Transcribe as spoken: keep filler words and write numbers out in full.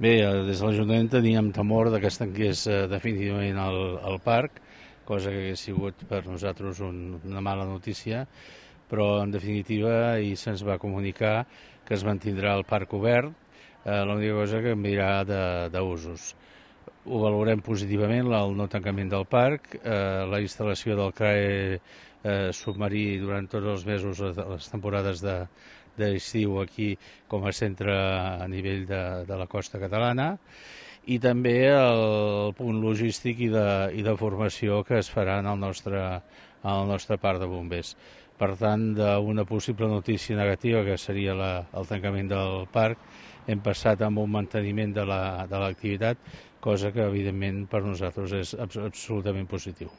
Bé, des de l'Ajuntament teníem temor que es tanqués definitivament el, el parc, cosa que hauria sigut per nosaltres un, una mala notícia, però en definitiva ahir se'ns va comunicar que es mantindrà el parc obert, eh, l'única cosa que canviarà d'usos. Ho valorem positivament, el no tancament del parc, eh, la instal·lació del C R A E eh, submarí durant tots els mesos, les temporades de d'estiu aquí com a centre a nivell de, de la costa catalana, i també el punt logístic i de, i de formació que es farà en el nostre, en el nostre parc de bombers. Per tant, d'una possible notícia negativa, que seria la, el tancament del parc, hem passat amb un manteniment de l'activitat, la, de cosa que, evidentment, per nosaltres és absolutament positiu.